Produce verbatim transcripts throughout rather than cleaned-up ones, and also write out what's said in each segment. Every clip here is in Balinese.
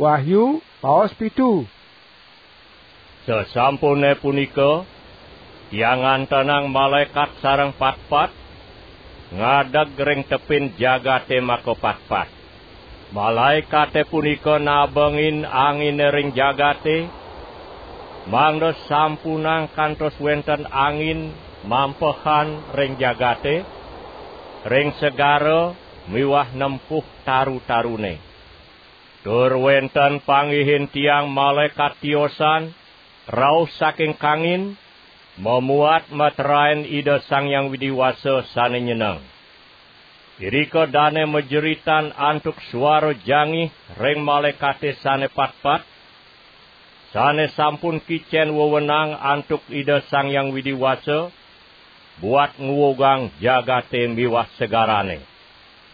Wahyu, paos pitu. Sasampune punika, tiang ngantenang malaekat sareng patpat ngadeg ring tepin jagate makapatpat. Malaekate punika nabengin angine ring jagate, mangda sampunang kantos wenten angin mampehan ring jagate, ring segara miwah nempuh taru-tarune. Tur wenten panggihin tiang malaekat tiosan rauh saking kangin, mamuat metraen Ida Sang Hyang Widi Wasa sane nyeneng. Irika dane majeritan antuk suara jangih ring malaekate sane patpat, sane sampun kicen wewenang antuk Ida Sang Hyang Widi Wasa, buat nguwugang jagate miwah segarane.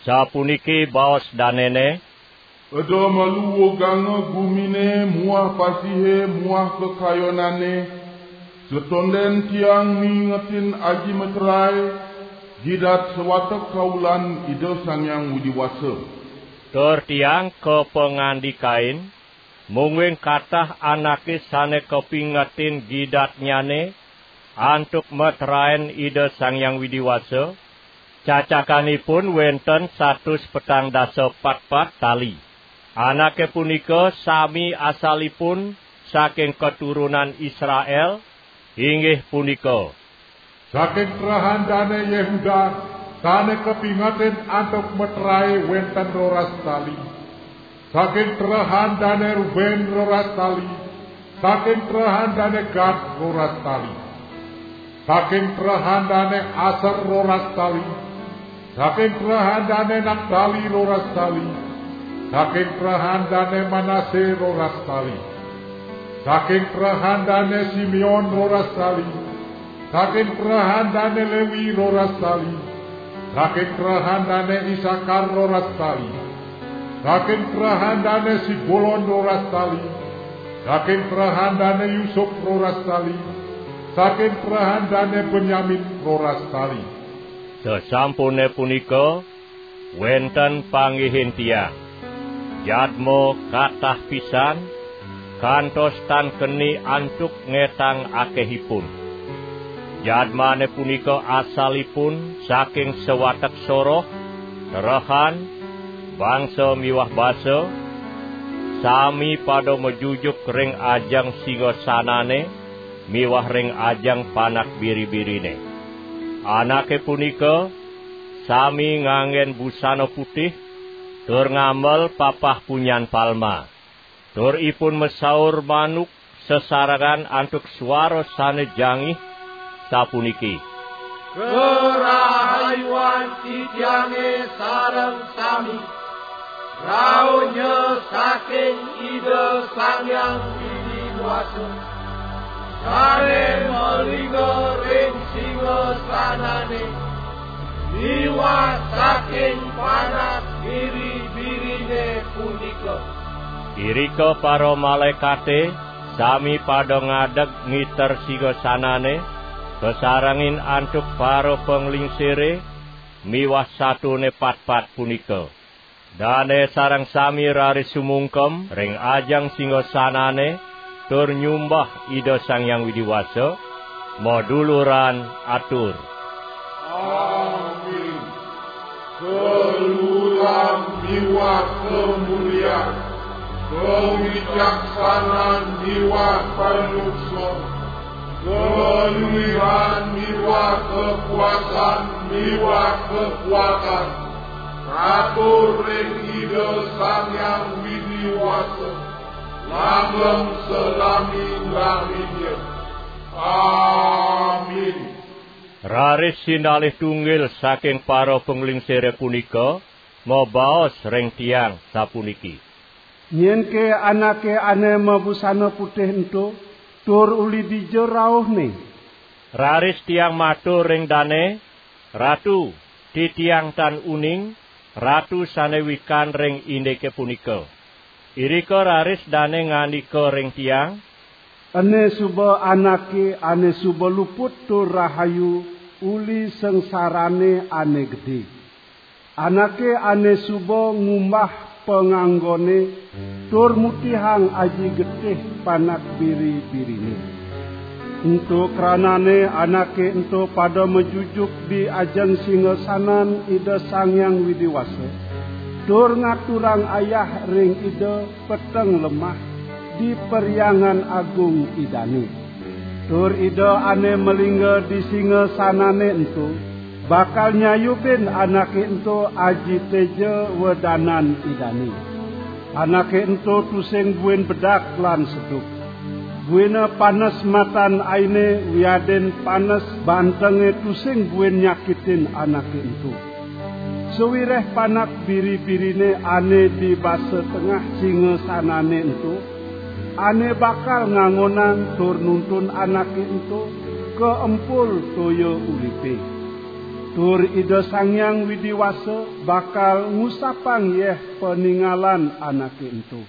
Sapuniki baos danene, "Eda malu wuganga gumine muah pasihe muah kakayonane, satonden tiang miingetin aji meterae, gidat sawatek kaulan Ida Sang Hyang Widi Wasa." Tur tiang kapangandikain, mungguing katah anake sane kapingetin gidatnyane antuk metraen Ida Sang Hyang Widi Wasa, cacakanipun wenten satus petang dasa patpat tali. Anake punika sami asalipun saking keturunan Israel, inggih punika: Saking trehan dane Yehuda, sane kapingetin antuk metrae wenten roras tali. Saking trehan dane Ruben roras tali. Saking trehan dane Gad roras tali. Saking trehan dane Aser roras tali. Saking trehan dane Naptali roras tali. Saking trehan dane Manase roras tali. Saking trehan dane Simeon roras tali. Saking trehan dane Lewi roras tali. Saking trehan dane Isakar roras tali. Saking trehan dane Sibulon roras tali. Saking trehan dane Yusup roras tali. Saking trehan dane Benyamin roras tali. Sasampune punika, wenten panggihin tiang. Jadma katah pisan, kantos tan keni antuk ngetang akehipun. Jadmane punika asalipun saking sawatek soroh, trehan, bangsa miwah basa, sami pada majujuk ring ajeng singasanane miwah ring ajeng panak biri-birine. Anake punika sami nganggen busana putih, tur ngamel papah punyan palma. Tur ipun masaur manuk sesarengan antuk suara sane jangih, sapuniki: "Karahayuan titiange sareng sami, rauhnya saking Ida Sang Hyang Widi Wasa, sane malingga ring singasanane, miwah saking panak biri-birine punika." Irika para malaekate sami pada ngadeg ngiter singasanane, kasarengin antuk para panglingsire miwah satone patpat punika. Dane sareng sami raris sumungkem ring ajeng singasanane, tur nyumbah Ida Sang Hyang Widi Wasa, maduluran atur: "Amin. Kaluhuran miwah kamulian, kawicaksanan miwah panukson, kaluihan miwah kakuasan miwah kakuatan, katur ring Ida Sang Hyang Widi Wasa, langgeng salami-laminnya. Amin." Raris sinalih tunggil saking para panglingsire punika mabaos ring tiang, sapuniki: "Nyenke anake ane mabusana putih ento, tur uli dija rauhne?" Raris tiang matur ring dane: "Ratu, titiang tan uning, Ratu sane wikan ring indike punika." Irika raris dane ngandika ring tiang: "Ene suba anake ane suba luput tur rahayu uli sangsarane ane gede. Anake ane suba ngumbah panganggone, tur mutihang aji getih panak biri-birine. Ento kranane anake ento pada majujuk di ajeng singasanan Ida Sang Hyang Widi Wasa, tur ngaturang ayah ring Ida peteng lemah di Perhyangan Agung Idane. Tur Ida ane malingga di singasanane ento bakal nyayubin anake ento aji teja wedanan Idane. Anake ento tusing buin bedak lan seduk. Buina panes matan aine wiadin panes bantenge tusing buin nyakitin anake ento. Sawireh panak biri-birine ane di basa tengah singasanane ento, ane bakal ngangonang tur nuntun anake ento ka empul toya uripe. Tur Ida Sang Hyang Widi Wasa bakal ngusapang yeh paningalan anake ento.